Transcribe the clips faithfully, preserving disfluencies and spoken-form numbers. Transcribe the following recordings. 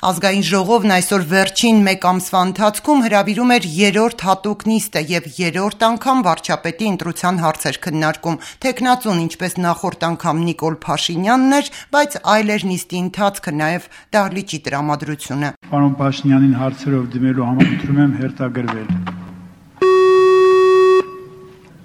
Ազգային ժողովն այսօր վերջին մեկ ամսվա ընթացքում հրավիրում էր երրորդ հատուկ նիստը եւ երրորդ անգամ վարչապետի ընտրության հարցեր քննարկում։ Թեկնածուն, ինչպես նախորդ անգամ Նիկոլ Փաշինյանն էր, բայց այլ էր նիստի ընթացքը, նաեւ դահլիճի տրամադրությունը։ Պարոն Փաշինյանին հարցերով դիմելու համար ընտրում եմ հերթագրվել։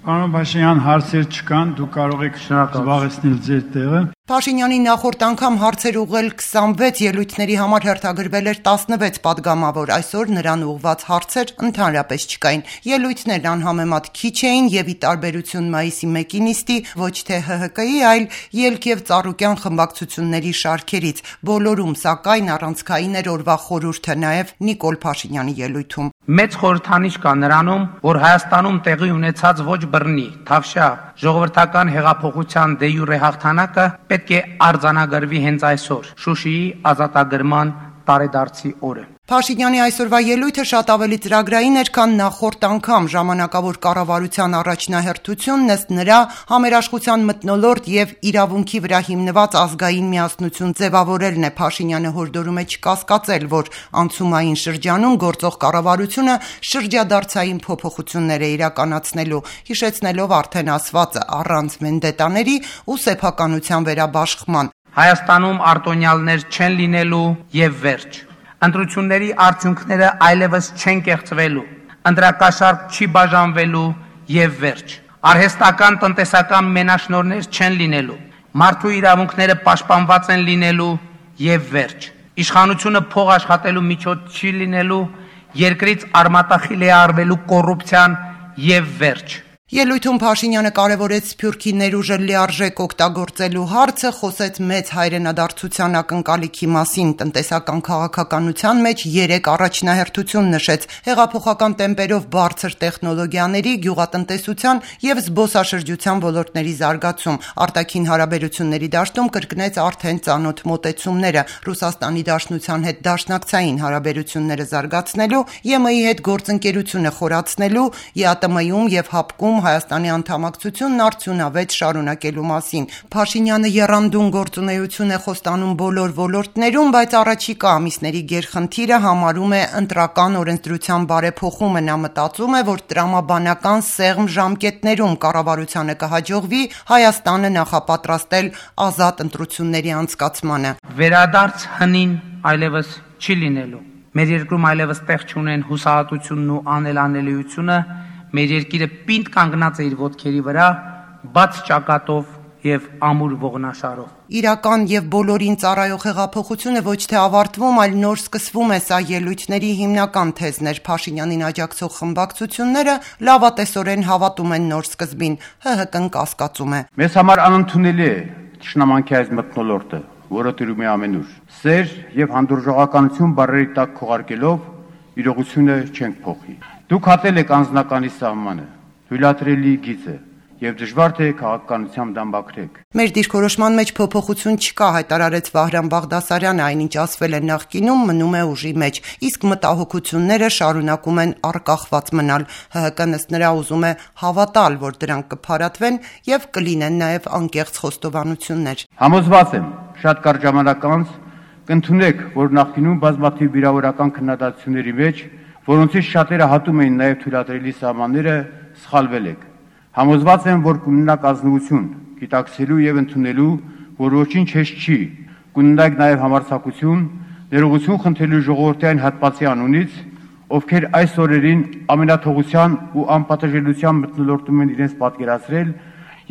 Պարոն Փաշինյան, հարցեր չկան, դուք կարող եք զբաղեցնել ձեր տեղը։ Փաշինյանի նախորդ անգամ հարցեր ուղղել քսանվեց ելույթների համար հերթագրվել էր տասնվեց падգամավոր, այսօր նրան ուղղված հարցեր ընդհանրապես չկային։ Ելույթներն անհամեմատ քիչ էին եւ ի տարբերություն մայիսի մեկի նիստի ոչ թե Հ Հ Կ-ի, այլ Ելք եւ Ծառուկյան խմբակցությունների շարքերից։ Բոլորում, սակայն, առանցքային էր օրվա խորհուրդը, նաեւ Նիկոլ Փաշինյանի ելույթում։ Մեծ խորհրդանիշ կա նրանում, որ Հայաստանում տեղի ունեցած ոչ բռնի, թավշյա ժողովրդական հեղափոխության դե յուրե հաղթանակը պետք է արձանագրվի հենց այսօր, Շուշիի ազատագրման տարեդարձի օրը։ Փաշինյանի այսօրվա ելույթը շատ ավելի ծրագրային էր, քան նախորդ անգամ։ Ժամանակավոր կառավարության առաջնահերթությունն ըստ նրա համերաշխության մթնոլորտ եւ իրավունքի վրա հիմնված ազգային միասնություն ձևավորելն է։ Փաշինյանը հորդորում է չկասկածել, որ անցումային շրջանում գործող կառավարությունը շրջադարձային փոփոխություններ է իրականացնելու, հիշեցնելով արդեն ասվածը առանց վենդետաների ու սեփականության վերաբաշխման։ Հայաստանում արտոնյալներ չեն լինելու եւ վերջ։ Ընտրությունների արդյունքները այլևս չեն կեղծվելու, ընտրակաշառք չի բաժանվելու եւ վերջ։ Արհեստական տնտեսական մենաշնորհներ չեն լինելու, մարդու իրավունքները պաշտպանված են լինելու եւ վերջ։ Իշխանությունը փող աշխատելու միջոց չի լինելու, երկրից արմատախիլ է արվելու կոռուպցիան եւ վերջ։ Ելույթում Փաշինյանը կարևորեց Սփյուռքի ներուժը լիարժեք օգտագործելու հարցը, խոսեց մեծ հայրենադարձության ակնկալիքի մասին, տնտեսական քաղաքականության մեջ երեք առաջնահերթություն նշեց՝ հեղափոխական տեմպերով բարձր տեխնոլոգիաների, գյուղատնտեսության եւ զբոսաշրջության ոլորտների զարգացում, արտաքին հարաբերությունների դաշտում կրկնեց արդեն ծանոթ մոտեցումները, Ռուսաստանի Դաշնության հետ դաշնակցային հարաբերությունները զարգացնելու, Ե Մ ի հետ գործընկերությունը խորացնելու, Ե Ա Տը Մ-ում եւ ՀԱՊԿ-ում Հայաստանի անդամակցությունն արդյունավետ շարունակելու մասին։ Փաշինյանը եռանդուն գործունեություն է խոստանում բոլոր ոլորտներում, բայց առաջիկա ամիսների գերխնդիրը համարում է ընտրական օրենսդրության բարեփոխումը։ Նա մտածում է, որ տրամաբանական սեղմ ժամկետներում կառավարությանը կհաջողվի Հայաստանը նախապատրաստել ազատ ընտրությունների անցկացմանը։ Վերադարձ հնին այլևս չի լինելու։ Մեր երկրում այլևս տեղ չունեն հուսահատությունն ու անելանելիությունը։ Մեր երկիրը պինդ կանգնած է իր ոտքերի վրա, բաց ճակատով եւ ամուր ողնաշարով։ Իրական եւ բոլորին ծառայող հեղափոխությունը ոչ թե ավարտվում, այլ նոր սկսվում է, սա ելույթների հիմնական թեզն էր։ Փաշինյանին աջակցող խմբակցությունները լավատեսորեն հավատում են նոր սկզբին, Հ Հ Կն կասկածում է։ Մեզ համար անընդունելի է ճշնամանքի այս մթնոլորտը, որը տիրում է ամենուր։ Սեր եւ հանդուրժողականություն բառերի տակ քողարկելով իրողությունը չենք փոխի։ Դուք հատել եք անձնականի սահմանը, թույլատրելի գիծը եւ դժվար թե քաղաքականությամբ դամբակրեք։ Մեր դիրքորոշման մեջ փոփոխություն չկա, հայտարարեց Վահրամ Բաղդասարյանը, այնինչ ասվել է նախկինում մնում է ուժի մեջ, իսկ մտահոգությունները շարունակում են առկախված մնալ։ Հ Հ Կն ըստ նրա ուզում է հավատալ, որ դրանք կփարատվեն եւ կլինեն նաեւ անկեղծ խոստովանություններ։ Համոզված եմ, շատ կարճ ժամանակ անց կընդունեք, որ նախկինում բազմաթիվ վիրավորական քննադատությունների մեջ, որոնցից շատերը հատում էին նաև թույլատրելի սահմանները, սխալվել եք։ Համոզված եմ, որ կունենաք ազնվություն, գիտակցելու եւ ընդունելու, որ ոչինչ հեշտ չի, կունենաք նաև համարձակություն, ներողություն խնդրելու ժողովրդի այն հատվածի անունից, ովքեր այս օրերին ամենաթողության ու անպատժելիության մթնոլորտում են իրենց պատկերացրել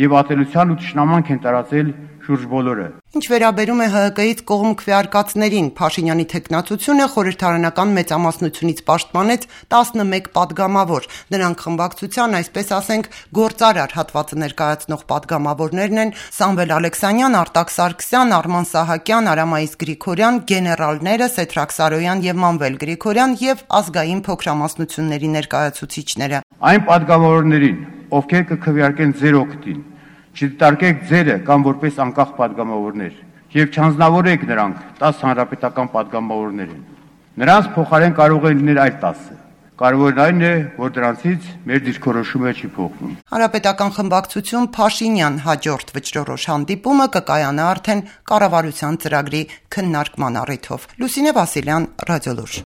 եւ ատելության ու թշնամանք են տարածել շուրջ բոլորը։ Ինչ վերաբերում է Հ Հ Կ-ից կողմ քվեարկածներին, Փաշինյանի թեկնածությունը խորհրդարանական մեծամասնությունից պաշտպանեց տասնմեկ падգամավոր։ Նրանք խմբակցության, այսպես ասենք, գործարար հատվածը ներկայացնող падգամավորներն են Սամվել Ալեքսանյան, Արտակ Սարգսյան, Արման Սահակյան, Արամայիս Գրիգորյան, գեներալները Սեդրակ Սարոյան եւ Մանվել Գրիգորյան եւ ազգային փոքրամասնությունների ներկայացուցիչները։ Այն падգամավորներին, ովքեր կքվեարկեն ձեր օգտին, չդիտարկեք ձերը կամ որպես անկախ падգամավորներ եւ չանձնավորեք նրանք տասը հանրապետական падգամավորներին։ Նրանց փոխարեն կարող է լինել այլ տասը Կարևորն այն է, որ դրանցից մեր դիրքորոշումը չի փոխվում։ Հանրապետական խմբակցություն Փաշինյան հաջորդ վճռորոշ հանդիպումը կկայանա արդեն կառավարության ծրագրի քննարկման առիթով։ Լուսինե Վասիլյան, Ռադիոլուրջ։